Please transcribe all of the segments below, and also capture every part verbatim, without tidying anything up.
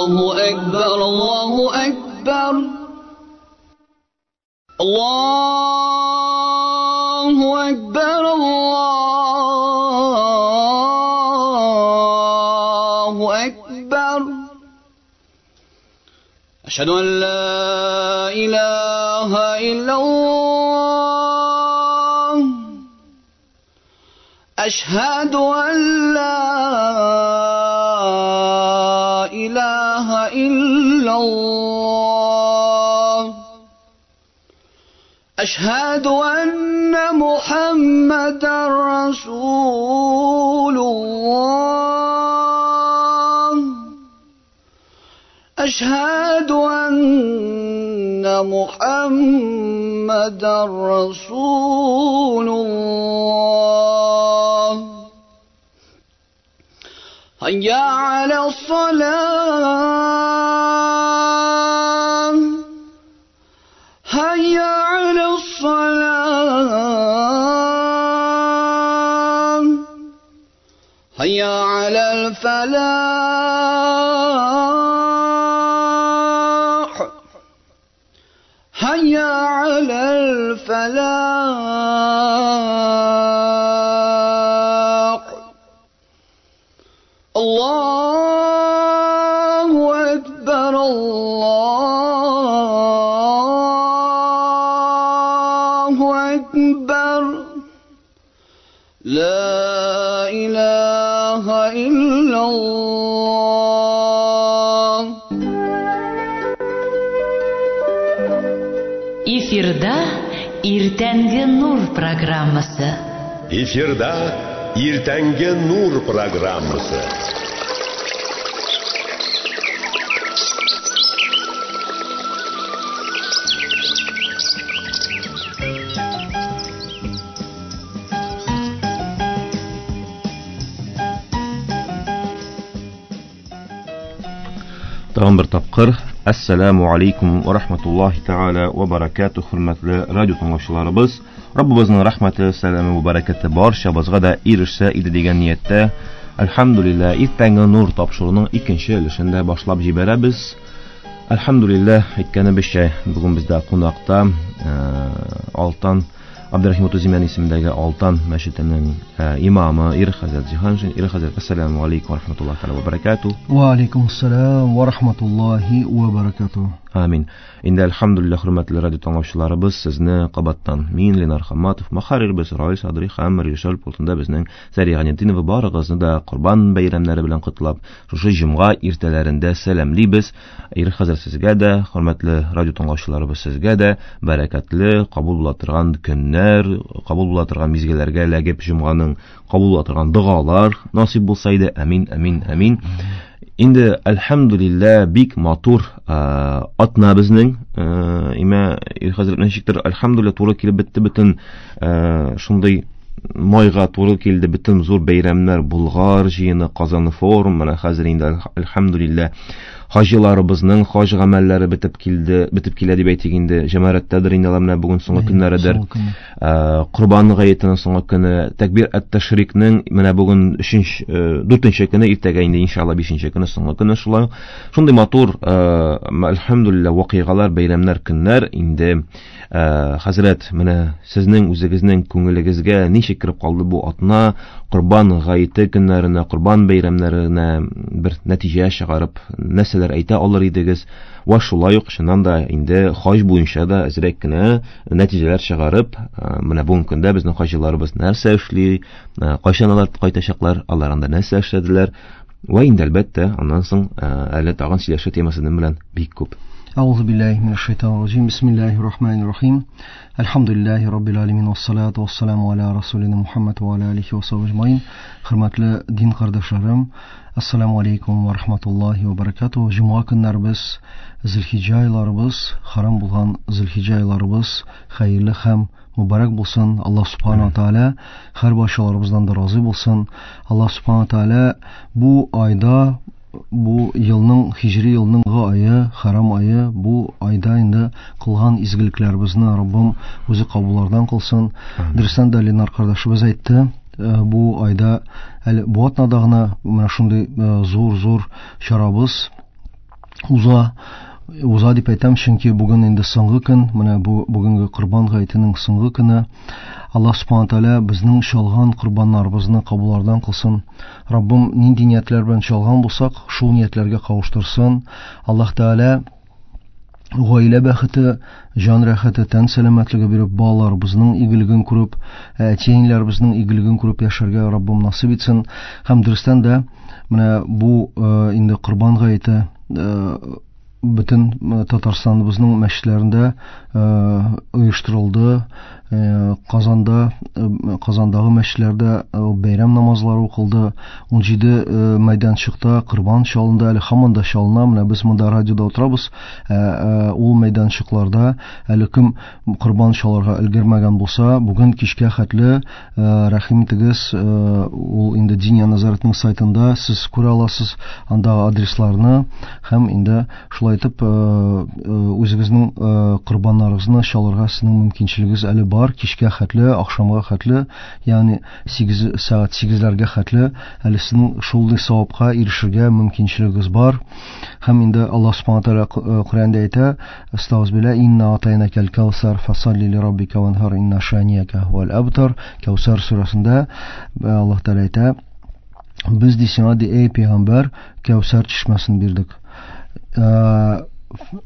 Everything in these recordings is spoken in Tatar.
Allahu Ekber, Allahu Ekber. Allahu Ekber, Allahu Ekber. Eşhedü en la ilahe illallah. Eşhedü en la ilahe illallah. Eşhedü enne Muhammeden Resulullah. Eşhedü enne Muhammeden Resulullah. Hayya alas-salah. Hayya alas-salah. Hayya alal-falah. Hayya alal-falah. Allahu Ekber, Allahu Ekber. La ilahe illallah. Эфирда Иртәнге Нур программасы. Эфирда Иртәнге Нур программасы. Тагын бер тапкыр Ассаламу алейкум ва рахматуллахи тааля ва баракатух, хөрмәтле радио тыңлаучыларыбыз. Раббыбызның рәхмәте, сәламе ва бәрәкәте барчабызга да ирешсә иде дигән нияттә, әлхәмдүлилләһ, Иртәнге Нур тапшыруының икенче өлешен дә башлап җибәрәбез. Әлхәмдүлилләһ, әйткәнебезчә, бүген бездә кунакта Алтан Абдурахим Тузимян исемендәге Алтан мәчетенең имамы Ир хәзрәт Җиһаншин. Ир хәзрәт, ассаламу алейкум ва рахматуллахи тааля ва баракатух. Ва алейкум ассалам ва рахматуллахи ва баракатух. Амин. Инде әлхәмдүлилләһ, хөрмәтле радио тыңлаучыларыбыз, сезне кабаттан мин Ленар Хамматов, мөхәррирбез Раил Садри һәм режиссер пультында безнең Сәрия Ганетдинова барыгызны да Корбан бәйрәмнәре белән котлап, шушы җомга иртәләрендә сәламлибез. Ир хәзрәт, сезгә дә, хөрмәтле радио тыңлаучыларыбыз, сезгә дә бәрәкәтле, кабул була торган көннәр, кабул була торган мизгелләргә эләгеп, җомганың кабул була торган догалар насыйп булса иде. Амин, амин, амин. Инде әлхәмдүлилләһ, бик матур атна безнең. Имә Ир хәзрәт, ничектер әлхәмдүлилләһ туры килеп бетте, бөтен шундый майга туры килде, бөтен зур бәйрәмнәр, Болгар җыены, Казан форум, менә хәзер инде әлхәмдүлилләһ хаҗиларыбызның хаҗ гамәлләре бетеп килде, бетеп килә дип әйтик инде, җәмәгатьтәдер инде алар менә бүген соңгы көннәредер. Корбан гаетенең соңгы көне, тәкбир ат-ташрикның менә бүген өченче, дүртенче көне, иртәгә инде иншалла бишенче көне, соңгы көне шулай. Шундый матур, әлхәмдүлилләһ, вакыйгалар, бәйрәмнәр, көннәр инде. Хәзрәт, менә сезнең үзегезнең күңелегезгә ничек кереп калды бу атна, Корбан гаете көннәренә, Корбан бәйрәмнәренә бер нәтиҗә чыгарып, нәрсәләр әйтә алыр идегез? Ва шулай ук чыннан да инде хаҗ буенча да әзрәк кенә нәтиҗәләр чыгарып, менә бүгенге көндә безнең хаҗиларыбыз нәрсә эшли, кайчан алар кайтачаклар, алар анда нәрсә эшләделәр? Ва инде әлбәттә, аннан соң әле тагын сөйләшү темасы белән бик күп. Әгъузу биллаһи минәш шайтанир раҗим. Бисмиллаһир рахманир рахим. Әлхәмдүлиллаһи раббил аламин вассалату вассаламу аля расулина Мухаммад ва аля алихи ва сахбихи әҗмаин. Хөрмәтле дин кардәшләрем, ассаламу алейкум ва рахматуллаһи ва баракатуһ. Җомга көннәребез, Зөлхиҗҗә айларыбыз, харам булган Зөлхиҗҗә айларыбыз хәерле һәм мөбарәк булсын. Аллаһ субхана ва тааля һәр барчаларыбыздан да разый булсын. Аллаһ субхана ва тааля бу айда, бу елның, хиҗри елның айы, харам айы, бу айда инде кылган изгелекләребезне Раббым үзе кабуллардан кылсын. Дөрестән дә Ленар кардәшебез әйтте, бу айда әле бу атнада гына менә шундый зур-зур чарабыз уза. Уза дип әйтәм, чөнки бүген инде соңгы көн, менә бу бүгенге Корбан гаетенең соңгы көне. Аллаһ субхана тааля безнең чалган корбаннарыбызны кабуллардан кылсын. Раббым нинди ниятләр белән чалган булсак, шул ниятләргә кавыштырсын. Аллаһ Тааля гаилә бәхете, җан рәхәте, тән сәламәтлеге биреп, балаларыбызның игелеген күреп, әти-әниләребезнең игелеген күреп яшәргә Раббым насыйп итсен. Һәм дөрестән дә менә бу инде Корбан гаете бөтен Татарстаныбызның мәчетләрендә оештырылды. Казанда, Казандагы мәчетләрдә бәйрәм намазлары укылды. ун җиде мәйданчыкта корбан чалынды, әле һаман да чалына. Менә без монда радиода утырабыз. Ул мәйданчыкларда әле кем корбан чалырга өлгермәгән булса, бүген кичкә хәтле рәхим итегез, ул инде Диния нәзарәтенең сайтында сез күрә аласыз андагы адресларны һәм инде шулай итеп үзегезнең корбаннарыгызны чалырга сезнең мөмкинчелегегез әле бар. Кичкә хәтле, ахшамга хәтле, ягъни сигез сәгать сигезләргә хәтле әле сезнең шундый савапка ирешергә мөмкинчелегегез бар. Һәм инде Аллаһ субхана тааля Коръәндә әйтә: "Астагфирулла инна атайнакал каусар фасалли ли раббика ванхар инна шанияка хуал абтар." Каусар сүрәсендә Аллаһ Тааля әйтә: "Без ди сиңа, ди, эй пәйгамбәр, Каусар чишмәсен бирдек."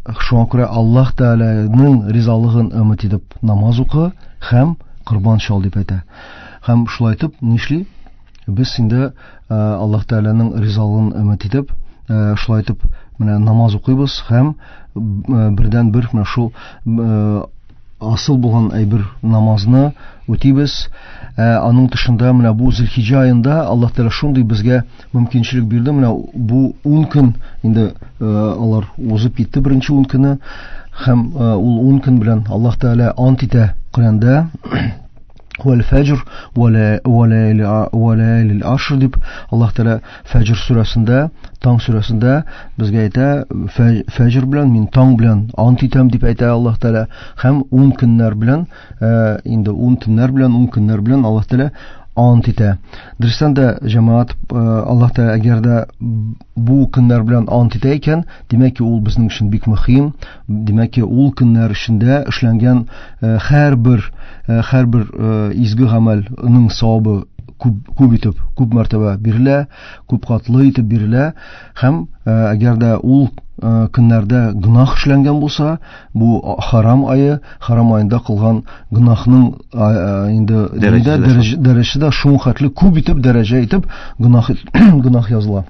Шуңа күрә Аллаһ Тааляның ризалыгын өмет итеп намаз укы һәм корбан чал дип әйтә. Һәм шулай итеп нишли? Без инде Аллаһ Тааляның ризалыгын өмет итеп, шулай итеп менә намаз укыйбыз һәм бердән бер менә шул асыл булган әйбер намазны үтибез. Аның тышында менә бу Зөлхиҗә аенда Аллаһ Тааля шундый безгә мөмкинчелек бирде. Менә бу ун көн инде алар узып китте, беренче ун көне, һәм ул ун көн белән Аллаһ Тааля ант итә Коръәндә: "Вәл фәҗр вә ләйлил ашр" дип Аллаһ Тааля Фәҗр сүрәсендә, таң сүрәсендә безгә әйтә: фәҗр белән мин таң белән ант итәм дип әйтә Аллаһ Тааля. Һәм ун көннәр белән, инде ун төннәр белән, ун көннәр белән Аллаһ Тааля ант итә. Дөрестән дә, җәмәгать, Аллаһ Тааля әгәр дә бу көннәр белән ант итә икән, димәк ки, ул безнең өчен бик мөһим. Димәк ки, ул көннәр эчендә эшләнгән һәрбер һәрбер изге гамәлнең савабы күп, күп итеп, күп мәртәбә бирелә, күп катлы итеп бирелә. Һәм әгәр дә ул көннәрдә гөнаһ эшләнгән булса, бу харам ае, харам аенда кылган гөнаһның инде дәрәҗәсе дә шул хәтле күп итеп, дәрәҗә итеп гөнаһ гөнаһ языла.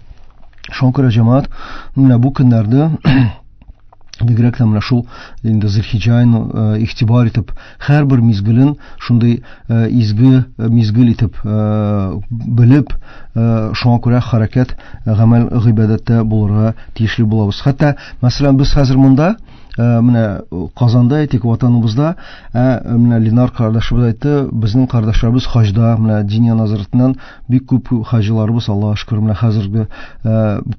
Шуңа күрә, җәмәгать, менә бу көннәрдә бигрәк тә менә шул инде Зөлхиҗә аен игътибар итеп, һәрбер мизгелен шундый изге мизгел итеп белеп, шуңа күрә хәрәкәт, гамәл, гыйбадәттә булырга тиешле булабыз. Хәтта, мәсәлән, без хәзер монда, менә Казанда әйтик, ватаныбызда, менә Ленар кардәшебез әйтте, безнең кардәшләребез хаҗда, менә Диния нәзарәтеннән бик күп хаҗиларыбыз, Аллаһка шөкер, менә хәзерге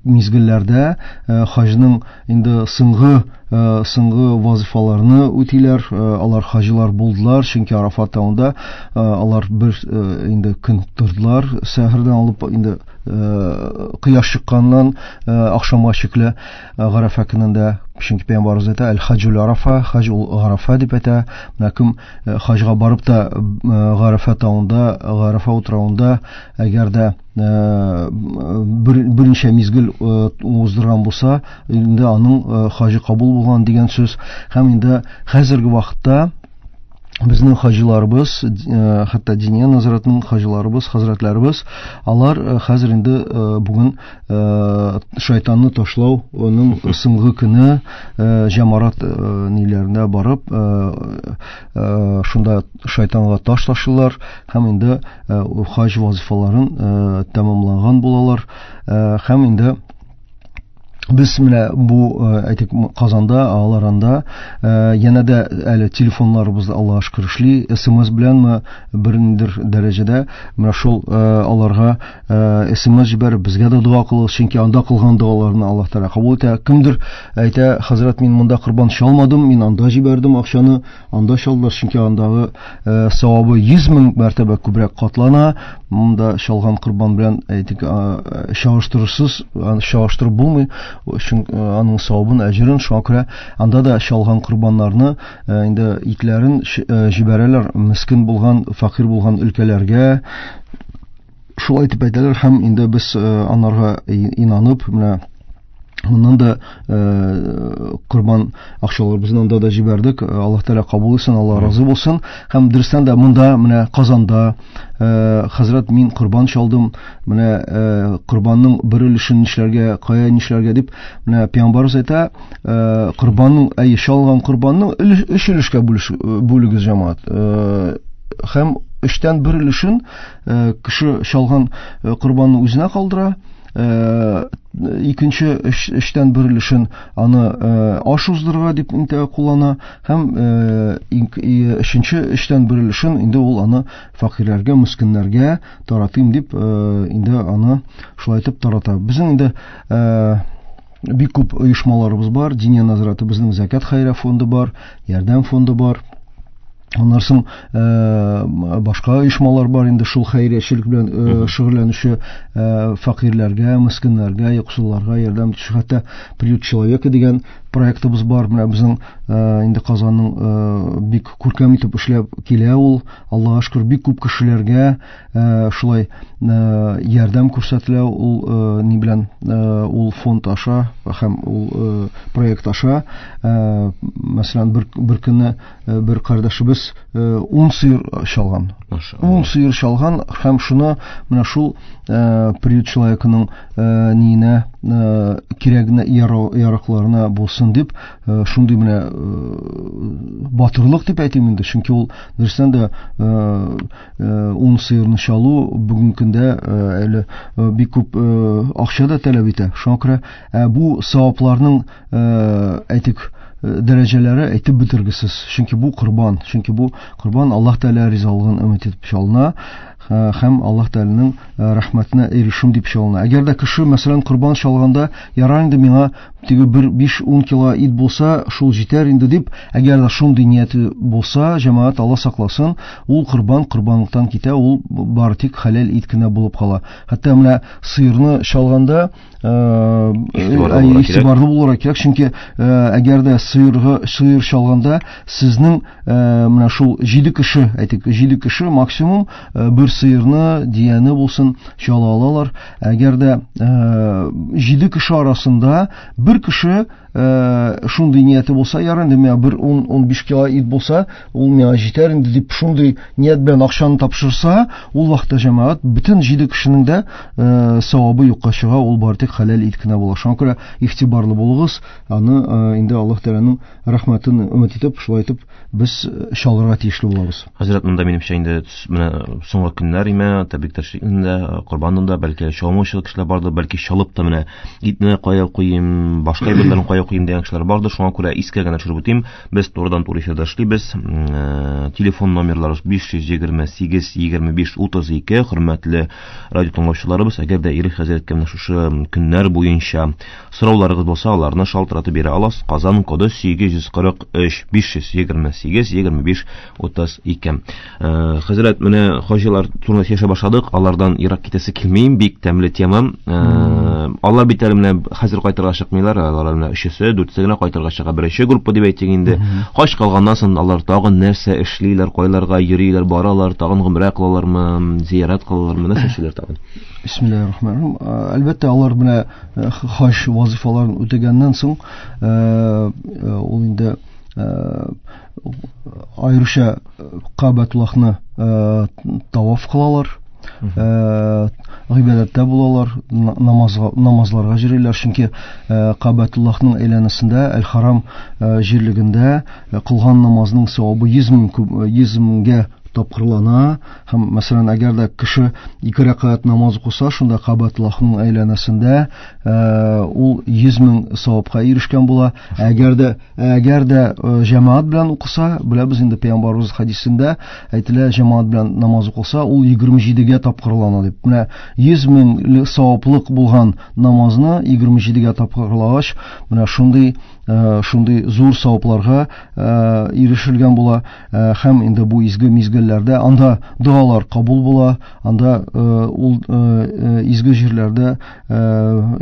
мизгелләрдә хаҗның инде соңгы соңгы вазифаларны үтиләр, алар хаҗилар булдылар, чөнки Арафат тавында алар бер инде көн тордылар, сәхәрдән алып инде кояш чыкканнан ахшамга чикле Гарафа көнендә, чөнки пәйгамбәребез әйтә: "Әл-хаҗул Арафа", хаҗ ул Гарафа дип әйтә. Менә кем хаҗга барып та Гарафа тавында, Гарафа утравында әгәр дә бер берничә мизгел уздырган булса, инде аның хаҗы кабул булган дигән сүз. Һәм инде хәзерге вакытта безнең хаҗиларыбыз, хәтта Диния нәзарәтенең хаҗиларыбыз, хәзрәтләребез, алар хәзер инде бүген шайтанны ташлауның соңгы көне, җәмарат ниләренә барып, шунда шайтанга таш ташлыйлар һәм инде хаҗ вазифаларын тәмамланган булалар. Һәм инде без менә бу, әйтик, Казанда, алар анда янә дә әле телефоннарыбызда Аллаһка шөкер эшли, СМС беләнме бернидер дәрәҗәдә менә шул аларга СМС җибәреп, безгә дә дога кылыгыз, чөнки анда кылган догаларны Аллаһ Тәгалә кабул итә. Кемдер әйтә: "Хәзрәт, мин монда корбан чалмадым, мин анда җибәрдем акчаны, анда чалдылар", чөнки андагы савабы йөз мең мәртәбә күбрәк катлана. Монда чалган корбан белән, әйтик, чагыштырырсыз, чагыштырып булмый. Өчен аның савабын, әҗерен. Шуңа күрә анда да чалган корбаннарны инде итләрен җибәрәләр мескен булган, фәкыйрь булган өлкәләргә. Шулай итеп әйтәләр һәм инде без анарга инанып, менә моннан да корбан акчаларыбызны анда да җибәрдек. Аллаһ Тәгалә кабул итсен, Аллаһ разый булсын. Һәм дөрестән дә монда менә Казанда хәзрәт мин корбан чалдым, менә корбанның бер өлешен нишләргә, кая нишләргә дип, менә пәйгамбәребез әйтә, корбанның, әй, чалган корбанның өч өлешкә бүлегез, җәмәгать. Һәм өчтән бер өлешен кеше чалган корбанны үзенә калдыра, икенче өчтән бер өлешен аны аш уздырырга дип инде куллана, һәм өченче өчтән бер өлешен инде ул аны фәкыйрьләргә, мескеннәргә таратыйм дип инде аны шулай итеп тарата. Безнең инде бик күп оешмаларыбыз бар, Диния нәзарәте, безнең Зәкят хәйрия фонды бар, Ярдәм фонды бар. Аннан соң башка оешмалар бар инде шул хәйриячелек белән шөгыльләнүче, фәкыйрьләргә, мескеннәргә, юксылларга ярдәм итүче. Хәтта Приют человека дигән проектыбыз бар. Менә безнең инде Казанның бик күркәм итеп эшләп килә ул. Аллаһка шөкер, бик күп кешеләргә шулай ярдәм күрсәтелә ул ни белән, ул фонд аша һәм ул проект аша. Мәсәлән, бер бер көнне бер кардәшебез ун сыер чалган. Ун сыер чалган һәм шуны менә шул Приют человеканың ниенә, кирәгенә, яракларына булсын дип, шундый менә батырлык дип әйтим инде, чөнки ул дөрестән дә ун сыерны чалу бүгенге көндә әле бик күп акча да таләп итә. Шуңа күрә бу савапларның, әйтик, дәрәҗәләре әйтеп бетергесез. Чөнки бу корбан, чөнки бу корбан Аллаһ Тәгалә ризалыгын өмет итеп чалына һәм Аллаһ Тәгаләнең рәхмәтенә ирешим дип чалына. Әгәр дә кеше, мәсәлән, корбан чалганда, ярар инде миңа теге бер биш-ун кило ит булса, шул җитәр инде дип, әгәр дә шундый нияте булса, җәмәгать, Аллаһ сакласын, ул корбан корбанлыктан китә, ул бары тик хәләл ит кенә булып кала. Хәтта менә сыерны чалганда игътибарлы булырга кирәк, чөнки әгәр дә сыерга сыер чалганда сезнең менә шул җиде кеше, әйтик, җиде кеше максимум бер сыерны, дияне булсын чала алалар. Әгәр дә җиде кеше арасында бер кеше шундый нияте булса, ярар инде миңа бер ун-ун биш кило ит булса, ул миңа җитәр инде дип шундый ният белән акчаны тапшырса, ул вакытта җәмәгать бөтен җиде кешенең дә савабы юкка чыга, ул бары тик хәләл ит кенә була. Шуңа күрә игътибарлы булыгыз, аны инде Аллаһ Тәгаләнең рәхмәтен өмет итеп, шулай итеп без чалырга тиешле булабыз. Хәзрәт, монда минемчә инде менә соңгы көннәр име, тәбрик тәшрикендә, корбанында бәлки чалмаучы кешеләр бардыр, бәлки чалып та менә итне кая куйым, башка әйберләрне кая куйым дигән кешеләр бардыр. Шуңа күрә искә генә төшереп үтим. Без турыдан-туры эфирда эшлибез. Телефон номерлары биш йөз егерме сигез егерме биш утыз ике. Хөрмәтле радио тыңлаучыларыбыз, әгәр дә Ирек хәзрәткә менә шушы көннәр буенча сорауларыгыз булса, аларны шалтыратып бирә аласыз. Казан коды сигез йөз кырык өч биш йөз егерме сигез егерме биш утыз ике. Хәзрәт, менә хаҗилар турында сөйләшә башладык, алардан ерак китәсе килмим, бик тәмле тема. Алар бит әле менә хәзер кайтырга чыкмыйлар, алар менә өчесе, дүртесе генә кайтырга чыга. Беренче группа дип әйтик инде. Хаҗ калганнан соң алар тагын нәрсә эшлиләр, кайларга йөриләр, баралар, тагын гомрә кылалармы, зиярат кылалармы, нәрсә эшлиләр тагын? Бисмиллаһир-рахманир-рахим. Әлбәттә, алар менә хаҗ вазифаларын үтәгәннән соң, ул инде аеруча Кабатуллаһны таваф кылалар, гыйбадәттә булалар, намазга, намазларга йөриләр, чөнки Кабатуллаһның әйләнәсендә, Әл-Харам җирлегендә кылган намазның савабы йөз мең, йөз меңгә тапкырлана. Һәм мәсәлән, әгәр дә кеше ике рәкәгать намаз укыса, шунда Кабатуллаһның әйләнәсендә ул йөз мең савапка ирешкән була. Әгәр дә, әгәр дә җәмәгать белән укыса, беләбез инде пәйгамбәребез хәдисендә әйтелә, җәмәгать белән намаз укыса, ул егерме җидегә тапкырлана дип. Менә йөз мең саваплык булган намазны егерме җидегә тапкырлагач, менә шундый шундый зур савапларга ирешелгән була. Һәм инде бу изге мизгелләрдә анда догалар кабул була, анда ул изге җирләрдә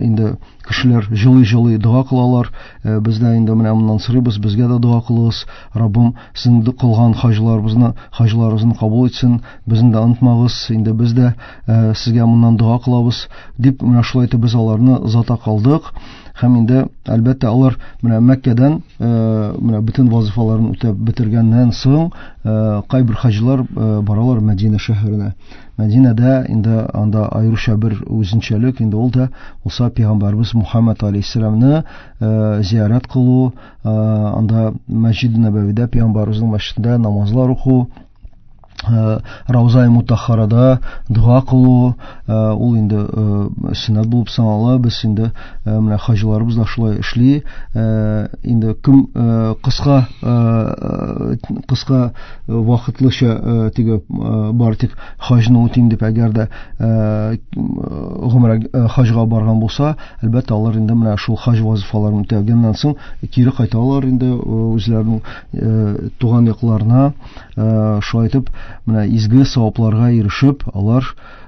инде кешеләр җылы-җылы дога кылалар. Без дә инде менә моннан сорыйбыз, безгә дә дога кылыгыз. Раббым, сезнең кылган хаҗларыбызны, хаҗларыгызны кабул итсен, безне дә онытмагыз. Инде без дә сезгә моннан дога кылабыз дип менә шулай итеп без аларны озата калдык. Һәм инде әлбәттә алар менә Мәккәдән менә бөтен вазифаларын үтәп бетергәннән соң кайбер хаҗилар баралар Мәдинә шәһәренә. Мәдинәдә инде анда аеруча бер үзенчәлек инде ул да булса пәйгамбәрбез Мухаммад алейһиссәламны зиярат кылу, анда Мәсҗид Нәбәвидә пәйгамбәребезнең мәчетендә намазлар уку, Рауза-и Мутаххарада дога кылу, ул инде сөннәт булып санала. Без инде менә хаҗиларыбыз да шулай эшли. Инде кем кыска кыска вакытлыча теге бар тик хаҗны үтим дип әгәр дә гомрә хаҗга барган булса, әлбәттә алар инде менә шул хаҗ вазифаларын үтәгәннән соң кире кайталар инде үзләренең туган якларына. Шулай итеп менә изге савапларга ирешеп, алар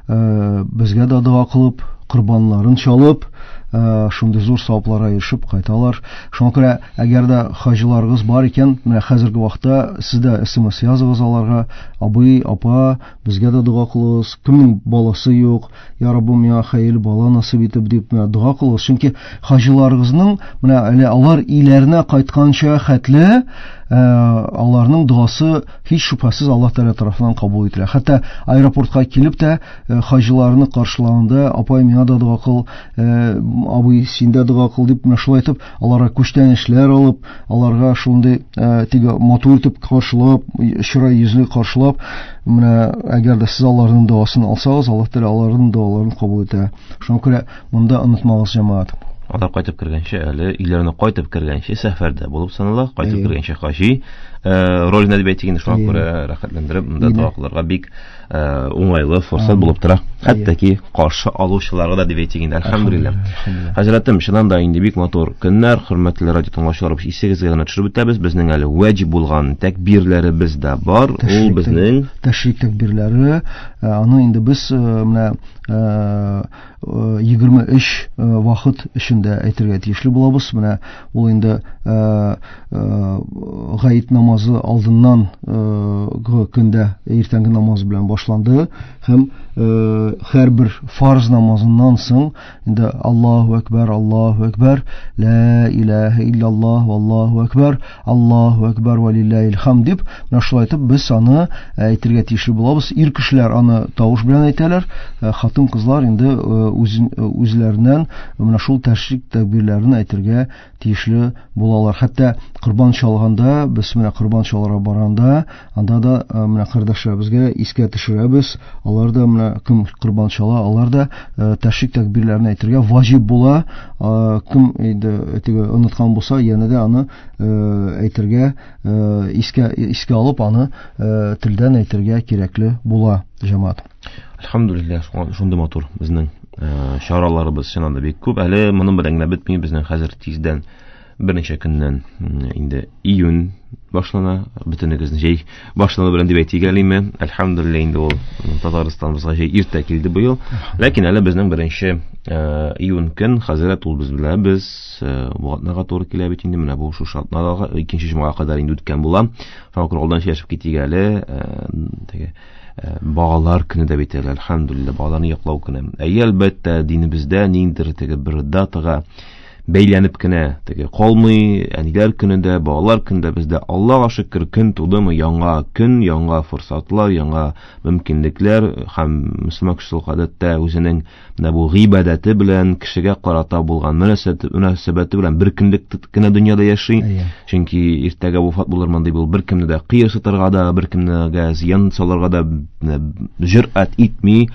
безгә дә дога кылып, корбаннарын чалып, шундый зур савапларга ирешеп кайталар. Шуңа күрә әгәр дә хаҗиларыгыз бар икән, менә хәзерге вакытта сез дә эс эм эс языгыз аларга: абый, апа, безгә дә дога кылыгыз, кемнең баласы юк, я Раббым, миңа хәерле бала насыйп итеп дип менә дога кылыгыз. Чөнки хаҗиларыгызның менә әле алар өйләренә кайтканча хәтле аларның догасы һич шөбһәсез Аллаһ Тәгалә тарафыннан кабул ителә. Хәтта аэропортка килеп тә хаҗиларны каршылаганда, апай, миңа да дога кыл, абый, син дә дога кыл дип менә шулай итеп аларга күчтәнәчләр алып, аларга шундый теге матур итеп каршылап, чырай йөзле каршылап, менә әгәр дә сез аларның догасын алсагыз, Аллаһ Тәгалә аларның догаларын кабул итә. Шуңа күрә монда онытмагыз, җәмәгать. Алар кайтып кергәнче, әле өйләренә кайтып кергәнче сәфәрдә булып санала, кайтып кергәнче хаҗи роленә дип әйтик инде, шуңа күрә рәхәтләндереп монда дога кылырга бик уңайлы форсат булып тора. Хәтта ки каршы алучыларга да дип әйтик инде, әлхәмдүлилләһ. Хәзрәтем, чыннан да инде бик матур көннәр, хөрмәтле радио тыңлаучылар, исегезгә генә төшереп үтәбез, безнең әле ваҗиб булган тәкбирләребез дә бар. Ул безнең тәшрик тәкбирләре, аны инде без менә егерме өч вакыт эчендә әйтергә тиешле булабыз. Менә ул инде гаит намазы алдыннан көндә иртәнге намаз белән башланды һәм һәрбер фарз намазыннан соң инде Аллаһу акбар, Аллаһу акбар, ла илаһа иллаллаһ, Аллаһу акбар, Аллаһу акбар ва лиллаһил хамд дип менә шулай итеп без аны әйтергә тиешле булабыз. Ир кешеләр аны тавыш белән әйтәләр, хатын-кызлар инде үзләреннән менә шул тәшрик тәкбирләрен әйтергә тиешле булалар. Хәтта корбан чалганда, без менә корбан чалырга барганда, анда да менә кардәшләребезгә искә төшерәбез. Алар да менә кем корбан чала, алар да тәшрик тәкбирләрен әйтергә ваҗиб була. Кем инде теге оныткан булса, янә дә аны әйтергә, искә искә алып аны телдән әйтергә кирәкле була, җәмәгать. Әлхәмдүлилләһ, шундый матур безнең чараларыбыз чыннан да бик күп. Әле моның белән генә бетми, безнең хәзер тиздән берничә көннән инде июнь башлана, бөтенегезнең җәй башлану белән дип әйтик әлеме. Әлхәмдүлилләһ, инде ул Татарстаныбызга җәй иртә килде быел. Ләкин әле безнең беренче июнь көн, хәзрәт, ул без беләбез, бу атнага туры килә бит инде, менә бу шушы атнага икенче җомгага кадәр инде үткән була. Шуңа күрә алдан сөйләшеп китик әле, теге балалар көне дә бит әле, әлхәмдүлилләһ, балаларны яклау көне. Әйе, әлбәттә, динебездә ниндидер теге бер датага бәйләнеп кенә теге калмый, әниләр көнендә, балалар көнендә бездә Аллаһка шөкер көн тудымы, яңа көн, яңа форсатлар, яңа мөмкинлекләр һәм мөселман кеше гадәттә үзенең менә бу гыйбадәте белән кешегә карата булган мөнәсәбәте белән бер көнлек кенә дөньяда яши. Чөнки иртәгә вафат булырмын дип ул беркемне дә кыерсытырга да, беркемгә зыян салырга да җөрьәт итми.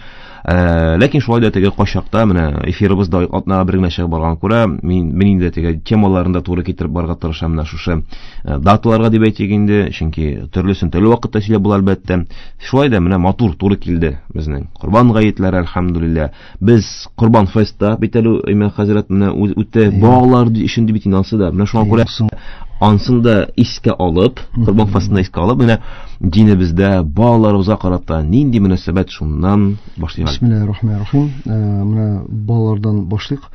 Ләкин шулай да теге кайчакта менә эфирыбызда атнага бер генә чыгып барган күрә, мин мин инде теге темаларын да туры китереп барырга тырышам менә шушы даталарга дип әйтик инде, чөнки төрлесен төрле вакытта сөйләп була әлбәттә. Шулай да менә матур туры килде безнең Корбан гаетләре, әлхәмдүлилләһ. Без Корбан фестта бит әле Иман хәзрәт менә үтте балалар өчен дип бит инде да. Менә шуңа күрә ансын да искә алып, Корбан фестын да искә алып, менә динебездә балаларыбызга карата нинди мөнәсәбәт, шуннан башлыйк. Бисмиллаһир-рахманир-рахим. Менә балалардан башлыйк.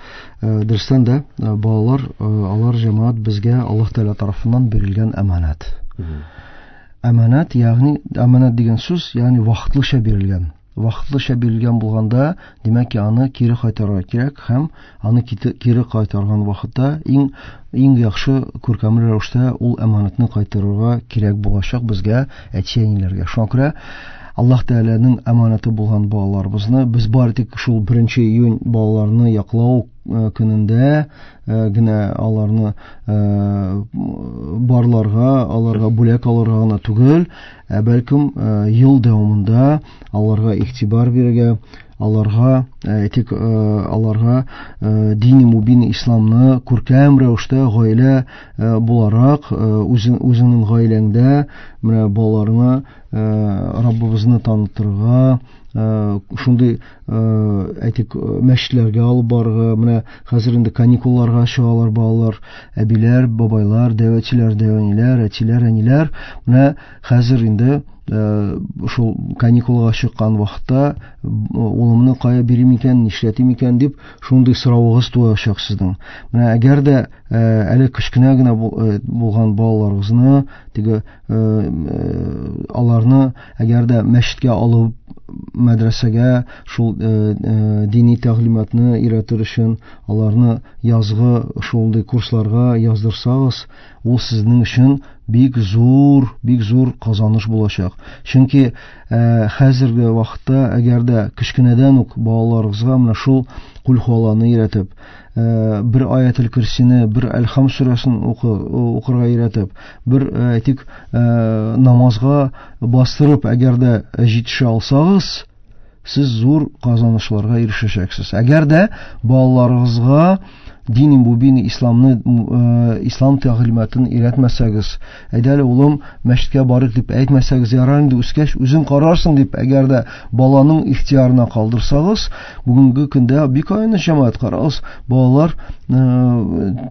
Дөрестән дә балалар, алар җәмәгать безгә Аллаһ Тәгалә тарафыннан бирелгән әманәт. Әманәт, ягъни әманәт дигән сүз, ягъни вакытлыча бирелгән. Вакытлыча бирелгән булганда, димәк ки, аны кире кайтарырга кирәк һәм аны кире кайтарган вакытта иң иң яхшы күркәмле рәвештә ул әманәтне кайтарырга кирәк булачак безгә, әти-әниләргә. Шуңа күрә Аллаһ Тәгаләнең әманәте булган балаларыбызны без бары тик шул беренче июнь балаларны яклау көнендә генә аларны барларга, аларга бүләк алырга гына түгел, ә бәлкем ел дәвамында аларга игътибар бирергә, аларга әйтик, аларга дини мубин исламны күркәм рәвештә гаилә буларак үзең үзеңнең гаиләңдә менә балаларыңа Раббыбызны танытырга, шундый әйтик мәчетләргә алып барырга. Менә хәзер инде каникулларга чыгалар балалар, әбиләр, бабайлар, дәвәтчеләр, дәвәниләр, әтиләр, әниләр. Менә хәзер инде шул каникулга чыккан вакытта улымны кая бирим икән, нишләтим икән дип шундый соравыгыз туачак сезнең. Менә әгәр дә әле кечкенә генә булган балаларыгызны, теге аларны әгәр дә мәчеткә алып, мәдрәсәгә шул дини тәгълиматны өйрәтер өчен аларны язгы шундый курсларга яздырсагыз, ул сезнең өчен бик зур, бик зур казаныш булачак. Чөнки хәзерге вакытта әгәр дә кечкенәдән үк балаларыгызга менә шул Кул хуалланы өйрәтеп, бер аятел курсины, бер Әлхам сүрәсен укырга өйрәтеп, бер әйтик намазга бастырып, әгәр дә җитешә алсагыз, сез зур казанышларга ирешәчәксез. Әгәр дә балаларыгызга дини мубин исламны, ислам тәгълиматын өйрәтмәсәгез, әйдә әле улым мәчеткә барыйк дип әйтмәсәгез, ярар инде үскәч үзең карарсың дип, әгәр дә баланың ихтиярына калдырсагыз, бүгенге көндә бик аяныч җәмәгать, карагыз, балалар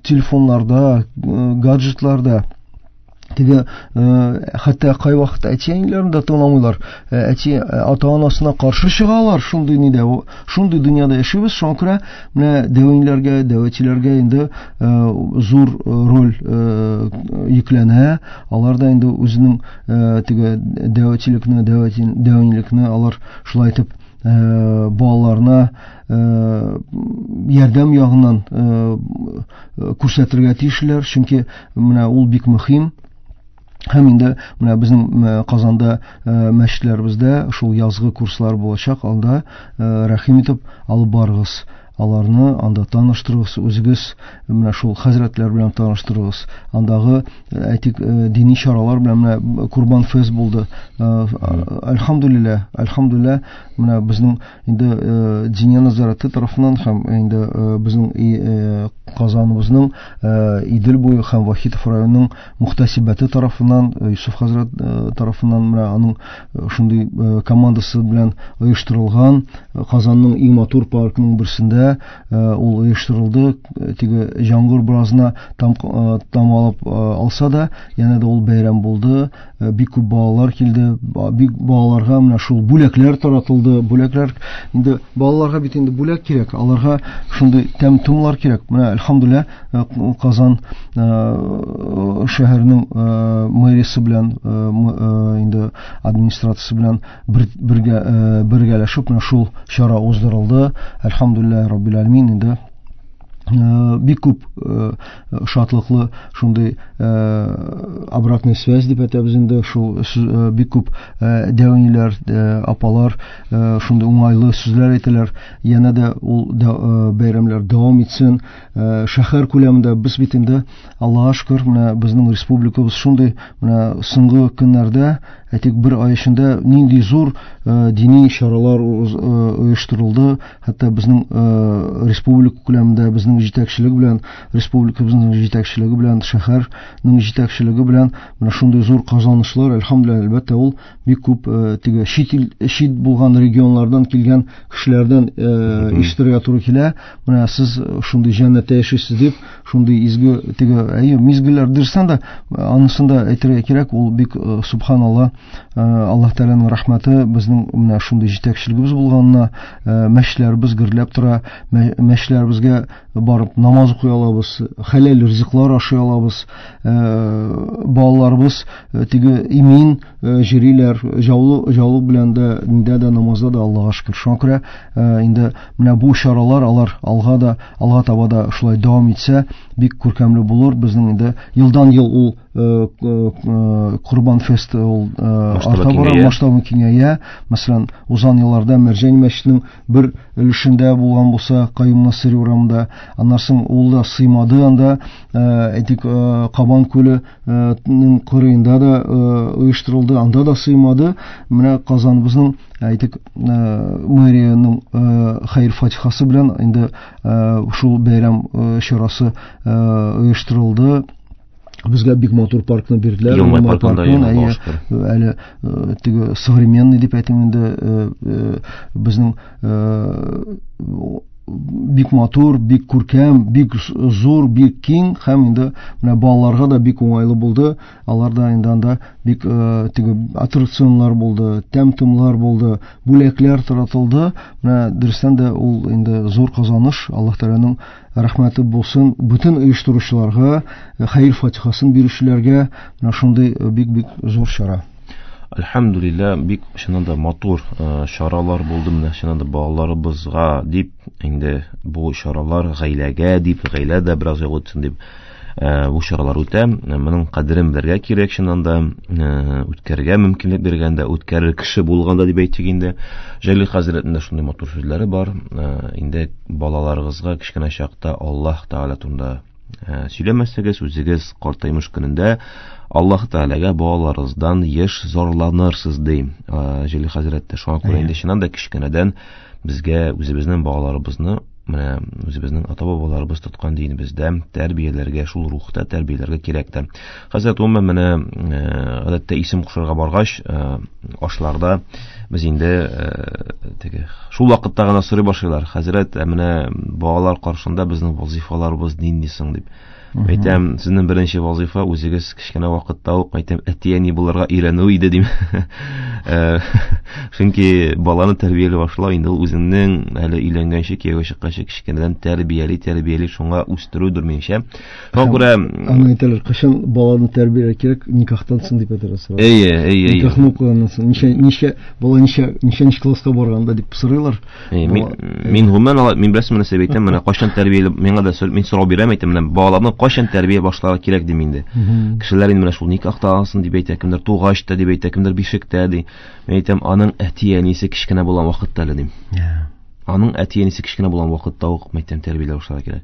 телефоннарда, гаджетларда, теге хәтта кайвакыт әти-әниләрен дә тыңламыйлар, әти ата-анасына каршы чыгалар. Шундый нидә, шундый дөньяда яшибез. Шуңа күрә менә дәвәниләргә, дәвәтчеләргә инде зур роль йөкләнә. Алар да инде үзенең теге дәвәтчелекне, дәвәнилекне алар шулай итеп балаларына ярдәм ягыннан күрсәтергә тиешләр, чөнки менә ул бик мөһим. Һәм инде менә безнең Казанда мәчетләребездә шул язгы курслар булачак, анда рәхим итеп алып барыгыз. Аларны анда таныштырыгыз, үзегез менә шул хәзрәтләр белән таныштырыгыз. Андагы әйтик дини чаралар белән менә Курбан фест булды. Әлхәмдүлилләһ, әлхәмдүлилләһ, менә безнең инде Диния нәзарәте тарафыннан һәм инде безнең Казаныбызның Идел буе һәм Вахитов районының мөхтәсибәте тарафыннан, Юсуф хәзрәт тарафыннан менә аның шундый командасы белән оештырылган Казанның иң матур паркының берсендә ул оештырылды. Теге җаңгыр беразына там тамалап алса да, янә дә ул бәйрәм булды. Бик күп балалар килде. Бик балаларга менә шул бүләкләр таратылды. Бүләкләр инде балаларга бит инде бүләк кирәк, аларга шундый тәм-томлар кирәк. Менә әлхәмдүлилләһ, Казан шәһәренең мэриясе белән, инде администрациясе белән бергә бергәләшеп менә шул чара уздырылды. Әлхәмдүлилләһ раббил аләмин, инде бик күп шатлыклы шундый обратная связь дип әйтәбез инде, шул бик күп дәвәниләр, апалар шундый уңайлы сүзләр әйтәләр. Янә дә ул бәйрәмнәр дәвам итсен. Шәһәр күләмендә без бит инде, Аллаһка шөкер, менә безнең республикабыз шундый менә соңгы көннәрдә Әйтик, бер ай эчендә нинди зур дини чаралар оештырылды. Хәтта безнең республика күләмендә безнең җитәкчелек белән, республикабызның җитәкчелеге белән, шәһәрнең җитәкчелеге белән менә шундый зур казанышлар, әлхәмдүлилләһ, әлбәттә, ул бик күп теге чит ил, чит булган регионнардан килгән кешеләрдән ишетергә туры килә. Менә сез шундый җәннәттә яшисез дип, шундый изге теге әйе мизгелләр дөрестән дә, анысын да әйтергә кирәк, ул бик субханалла, Аллаһ Тәгаләнең рәхмәте безнең менә шундый җитәкчелегебез булганына, мәчетләребез гөрләп тора, мәчетләребезгә барып намаз укый алабыз, хәләл ризыклар ашый алабыз, балаларыбыз теге имин җөриләр, җаулы җаулык белән дә, диндә дә, намазда да, Аллаһка шөкер. Шуңа күрә инде менә бу чаралар алар алга да, алга таба да шулай дәвам итсә, бик күркәмле булыр. Безнең инде елдан ел ул Корбан фест ул арта бара, масштабы киңәя. Мәсәлән, узган елларда Мәрҗани мәчетенең бер өлешендә булган булса, Каюм Насыйри урамында, аннан соң ул да сыймады анда, әйтик, Кабан күленең кырыенда да оештырылды, анда да сыймады. Менә Казаныбызның, әйтик, мэриянең хәер фатихасы белән инде шул бәйрәм чарасы оештырылды. Безгә бик матур паркны бирделәр. Елмай паркында, әле теге современный дип әйтим инде, безнең бик матур, бик күркәм, бик зур, бик киң һәм инде менә балаларга да бик уңайлы булды. Алар да инде анда бик теге аттракционнар булды, тәм-томлар булды, бүләкләр таратылды. Менә дөрестән дә ул инде зур казаныш. Аллаһ Тәгаләнең рәхмәте булсын бөтен оештыручыларга, хәер фатихасын бирүчеләргә. Менә шундый бик-бик зур чара. Әлхәмдүлилләһ, бик чыннан да матур чаралар булды. Менә чыннан да балаларыбызга дип, инде бу чаралар гаиләгә дип, гаилә дә бераз ял итсен дип бу чаралар үтә. Моның кадерен белергә кирәк, чыннан да үткәрергә мөмкинлек биргәндә, үткәрер кеше булганда дип әйтик инде. Җәлил хәзрәтнең дә шундый матур сүзләре бар. Инде балаларыгызга кечкенә чакта Аллаһ Тәгалә турында сөйләмәсәгез, үзегез картаймыш көнендә Аллаһ Тәгаләгә балаларыгыздан еш зарланырсыз, ди Җәлил хәзрәт тә. Шуңа күрә инде чыннан да кечкенәдән безгә үзебезнең балаларыбызны, менә үзебезнең ата-бабаларыбыз тоткан динебездә тәрбияләргә, шул рухта тәрбияләргә кирәк тә. Хәзрәт, гомумән, менә гадәттә исем кушарга баргач, ашларда без инде теге шул вакытта гына сорый башлыйлар. Хәзрәт, менә балалар каршында безнең вазифаларыбыз нинди соң дип. Әйтәм, сезнең беренче вазифа үзегез кечкенә вакытта ук, әйтәм, әти-әни булырга өйрәнү иде дим. Чөнки баланы тәрбияли башлау инде ул үзеңнең әле өйләнгәнче, кияүгә чыкканчы кечкенәдән тәрбияли, тәрбияли шуңа үстерүдер минемчә. Шуңа күрә аны әйтәләр, кайчан баланы тәрбияләргә кирәк, никахтан соң дип әйтәләр сорау. Әйе, әйе, әйе. Никахны укыганнан соң ничә, ничә бала ничә, ничәнче класска барганда дип сорыйлар. Мин гомумән, мин беләсезме нәрсә әйтәм, менә кайчан тәрбияли, миңа да мин сорау бирәм, әйтәм, менә балаларны кайчан тәрбия башларга кирәк дим инде. Кешеләр инде менә шул никахта алсын дип әйтә, кемдер тугач та дип әйтә, кемдер бишектә ди. Мин әйтәм, аның әти-әнисе кечкенә булган вакытта әле дим. Аның әти-әнисе кечкенә булган вакытта ук әйтәм, тәрбияләү башларга кирәк.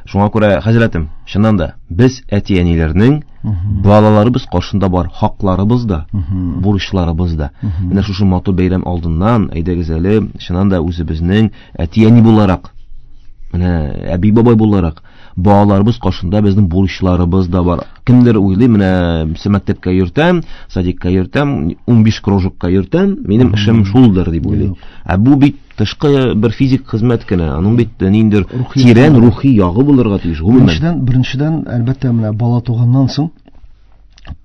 Шуңа күрә, хәзрәтем, чыннан да без әти-әниләрнең балаларыбыз каршында бар хакларыбыз да, бурычларыбыз да. Менә шушы матур бәйрәм алдыннан әйдәгез әле, чыннан да үзебезнең әти-әни буларак, менә әби-бабай буларак балаларыбыз каршында безнең бурычларыбыз да бар. Кемдер уйлый, менә мәктәпкә йөртәм, садикка йөртәм, унбиш кружокка йөртәм, минем эшем шулдыр дип уйлый. Ә бу бит тышкы бер физик хезмәт кенә, аның бит ниндидер тирән рухи ягы булырга тиеш. Гомумән, беренчедән, беренчедән, әлбәттә, менә бала туганнан соң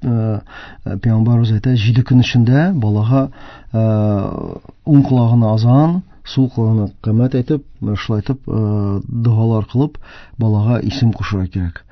Пәйгамбәребез әйтә, җиде көн эчендә балага уң колагына азан, сул колагына камәт әйтеп, менә шулай итеп догалар кылып балага исем кушырга кирәк.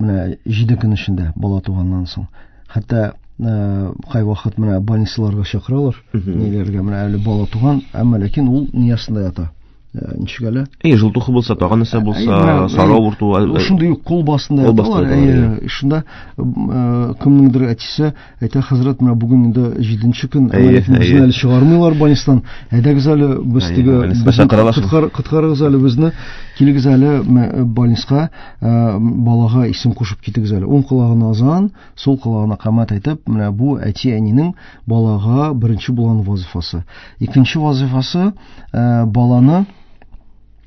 Менә җиде көн эчендә бала туганнан соң. Хәтта кайвакыт менә больницаларга чакыралар, ниләргә, менә әле бала туган, әмма ләкин ул ниясендә ята. Ничек әле? Әй, желтуха булса, тагын нәрсә булса, сары авырту. Шундый кул басында яталар. Әй, шунда кемнеңдер әтисе әйтә, хәзрәт, менә бүген инде җиденче көн, безне әле чыгармыйлар больницадан. Әйдәгез әле без теге коткарыгыз әле безне, килегез әле больницага, балага исем кушып китегез әле. Уң колагына азан, сул колагына камәт әйтеп, менә бу әти-әнинең балага беренче булган вазифасы. Икенче вазифасы баланы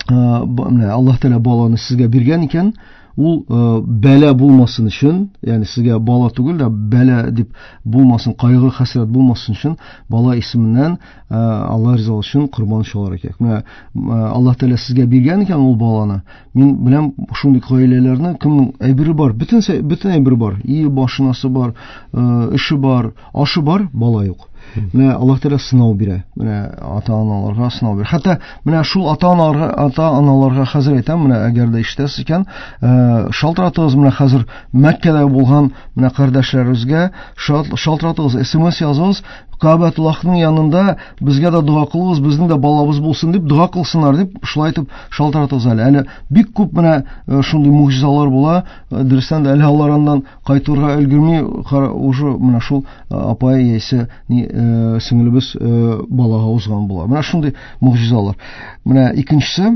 Аллаһ Тәгалә баланы сезгә биргән икән, ул бәла булмасын өчен, ягъни сезгә бала түгел дә бәла дип булмасын, кайгы хәсрәт булмасын өчен бала исеменнән Аллаһ ризалыгы өчен корбан чалырга кирәк. Менә Аллаһ Тәгалә сезгә биргән икән ул баланы. Мин беләм шундый гаиләләрне, кемнең әйбере бар, бөтен бөтен әйбере бар, и машинасы бар, эше бар, ашы бар, бала юк. Менә Аллаһ Тәгалә сынау бирә. Менә ата-аналарга сынау бирә. Хәтта менә шул ата-аналарга, ата-аналарга хәзер әйтәм, менә әгәр дә ишетәсез икән, шалтыратыгыз менә хәзер Мәккәдә булган менә кардәшләребезгә шалтыратыгыз, эс эм эс языгыз, Кәбәтуллаһның янында безгә дә дога кылыгыз, безнең дә балабыз булсын дип дога кылсыннар дип шулай итеп шалтыратыгыз әле. Әле бик күп менә шундый мугъҗизалар була. Дөрестән дә әле алар аннан кайтырга өлгерми, уже менә шул апай яисә сеңлебез балага узган була. Менә шундый мугъҗизалар. Менә икенчесе